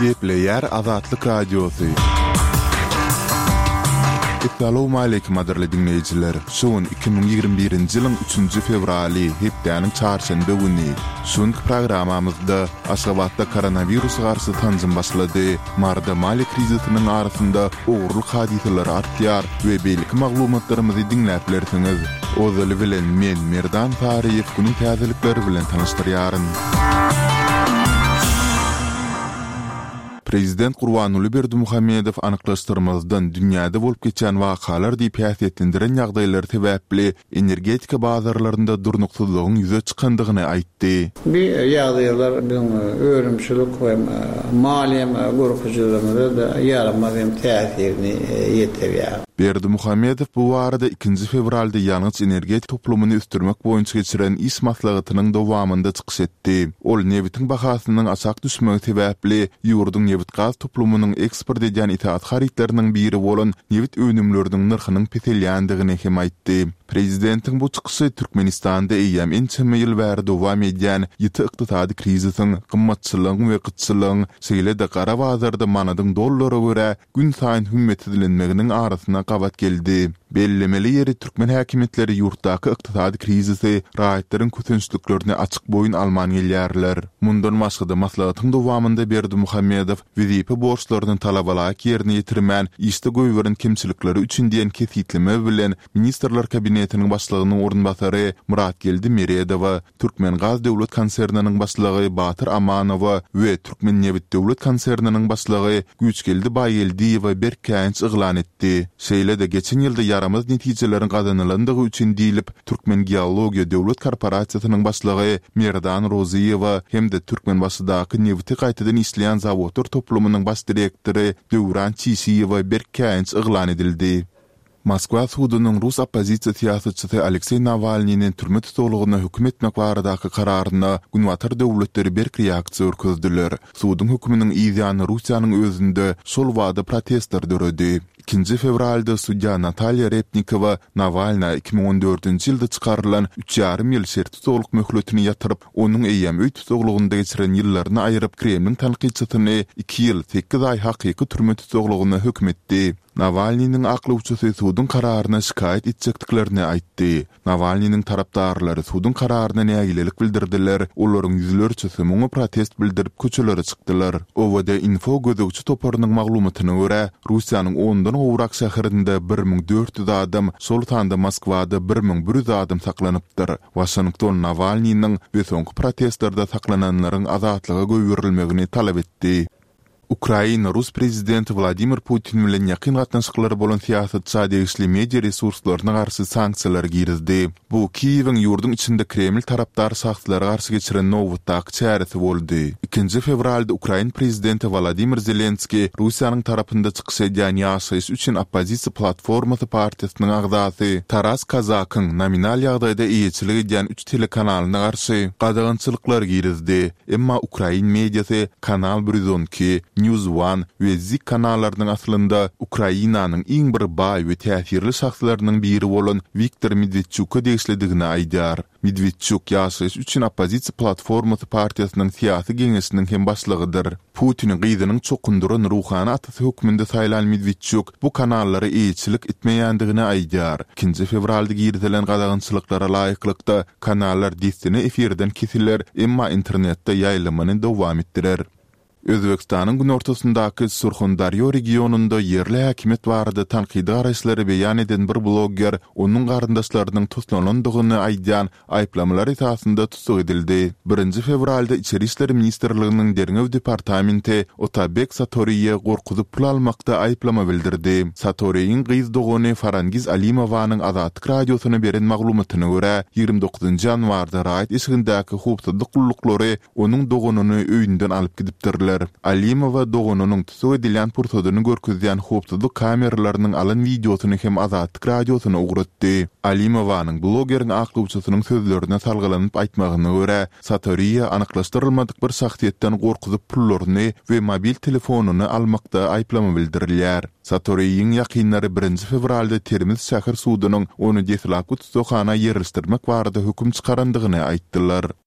Gepleýär Azatlyk Radiosy. Essalawmaleýkim gadyrly diňleýjiler! Şu gün 2021-nji ýylyň üçünji fewraly, hepdäniň çarşenbe güni. Şu günki programmamyzda Aşgabatda koronawirusa garşy sanjym başlady, Maryda maliýe krizisiniň arasynda ogurlyk hadysalary artýar we beýleki maglumatlarymyzy diňläp bilersiňiz. Ozaly bilen men, Merdan Saryýew günüň täzelikleri bilen tanyşdyrýaryn. Prezident Gurbanguly Berdimuhamedow anyklaşdyrmazdan dünýäde bolup geçýän wakalar diýip häsiýetlendiren ýagdaýlary sebäpli energetika bazarlarynda durnuksyzlygyň ýüze çykandygyny aýtdy. Bu ýagdaýlar biziň önümçilik we maliýe görkezijilerimize-de ýaramaz hem täsirini ýetirýär. Berdimuhamedow bu barada ikinji fewralda ýangyç-energetika toplumyny ösdürmek boýunça geçiren iş maslahatynyň dowamynda çykyş etdi. Ol nebitiň bahasynyň aşak düşmegi sebäpli ýurduň nebit-gaz toplumynyň eksport edýän esasy harytlarynyň biri bolan nebit önümleriniň nyrhynyň peselýändigini hem aýtdy. Prezidentiň bu çykyşy Türkmenistanda eýýäm ençeme ýyl bäri dowam edýän ýiti ykdysady krizisiň, gymmatçylygyň we gytçylygyň, şeýle-de gara bazarda manadyň dollara görä günsaýyn hümmetsizlenmeginiň arasyna gabat geldi. Bellemeli ýeri, türkmen häkimiýetleri ýurtdaky ykdysady krizisi, raýatlaryň kösençliklerini açyk boýun alman gelýärler. Mundan başga-da, maslahatyň dowamynda Berdimuhamedow wezipe borçlaryny talabalaýyk ýerine ýetirmän, işde goýberen kemçilikleri üçin diýen kesgitleme bilen Ministrler Kabinetiniň Başlygynyň orunbasary Myratgeldi Meredowa, Türkmengaz döwlet konserniniň başlygy Batyr Amanowa we Türkmennebit döwlet konserniniň başlygy Güýçgeldi Baýgeldiýewe berk käýinç yglan etdi. Şeýle-de, geçen ýylda ýaramaz netijeleriň gazanylandygy üçin diýlip, Türkmengeologiýa döwlet korporasiýasynyň başlygy Merdan Rozyýewa hem-de Türkmenbaşydaky nebiti gaýtadan işleýän zawodlar toplumynyň baş direktory Döwran Çişiýewe berk käýinç yglan edildi. Moskwa sudunyň rus oppozisiýa syýasatçysy Alekseý Nawalnyny türme tussaglygyna höküm etmek baradaky kararyna Günbatar döwletleri berk reaksiýa görkezdiler. Suduň höküminiň yzýany Russiýanyň özünde şol bada protestler döredi. Ikinji fewralda sudýa Natalýa Repnikowa Nawalna 2014-nji ýylda çykarylan üç ýarym ýyl şertli tussaglyk möhletini ýatyryp, onuň eýýäm öý tussaglygynda geçiren ýyllaryny aýryp, Kremliň tankytçysyny iki ýyl, sekiz aý hakyky türme tussaglygyna höküm etdi. Nawalnynyň aklawçysy suduň kararyna şikaýat etjekdiklerini aýtdy. Nawalnynyň tarapdarlary suduň kararyna nägilelik bildirdiler, olaryň ýüzlerçesi muňa protest bildirip köçelere çykdylar. OVD-Info gözegçi toparynyň maglumatyna görä, Russiýanyň ondan gowrak şäherinde 1400 adam, şol sanda Moskwada 1100 adam saklanypdyr. Waşington Nawalnynyň we soňky protestlerde saklananlaryň azatlyga goýberilmegini talap etdi. Ukraina rus prezidenti Wladimir Putin bilen ýakyn gatnaşyklary bolan syýasatça degişli media resurslaryna garşy sanksiýalary girizdi. Bu Kiýewiň ýurduň içinde Kreml tarapdar şahslara garşy geçiren nobatdaky çäresi boldy. Ikinji fewralda ukrain prezidenti Wolodymyr Zelenskiý Russiýanyň tarapynda çykyş edýän Ýaşaýyş üçin oppozisiýa platformasy partiýasynyň agzasy Taras Kazakyň nominal ýagdaýda eýeçilik edýän üç telekanalyna garşy gadagançylyklar girizdi. Emma ukrain mediasy Kanal 112, News One we Zik kanallarynyň aslynda Ukrainanyň iň bir baý we täsirli şahslarynyň biri bolan Wiktor Medwedçuka degişlidigini aýdýar. Medwedçuk Ýaşaýyş üçin oppozisiýa platformasy partiýasynyň syýasy geňeşiniň hem başlygydyr. Putini gyzynyň çokundyran ruhany atasy hökmünde saýlan Medwedçuk bu kanallara eýeçilik etmeýändigini aýdýar. Ikinji fewralda girizilen gadagançylyklara laýyklykda, Kanallar dessine efirden kesiler, emma internetde ýaýlymyny dowam etdirer. Özbegistanyň günortasyndaky Surhondarýo regionynda ýerli häkimiýet barada tankydy garaýyşlary beýan eden bir blogger onuň garyndaşlarynyň toslalandygyny aýdýan aýyplamalar esasynda tussag edildi. Birinji fewralda Içeri işler ministrliginiň derňew departamenti Otabek Satoriýe gorkuzyp pul almakda aýyplama bildirdi. Satoriýiň gyz dogany Farangiz Alimowanyň Azatlyk Radiosyna beren maglumatyna görä, 29 ýanwarda raýat eşigindäki howpsuzlyk gulluklary onuň doganyny öýünden alyp gidipdirler. Alimowa doganynyň tussag edilýän pursadyny görkezýän howpsuzlyk kameralarynyň alan wideosyny hem Azatlyk Radiosyna ugratdy. Alimowanyň blogeriň aklawçysynyň sözlerine salgylanyp aýtmagyna görä, Satoriýa anyklaşdyrylmadyk bir şahsyýetden gorkuzyp pullaryny we mobil telefonyny almakda aýyplama bildirilýär. Satoriýiň ýakynlary birinji fewralda Termiz şäher sudunyň ony deslapky tussaghana ýerleşdirmek barada höküm çykarandygyny aýtdylar.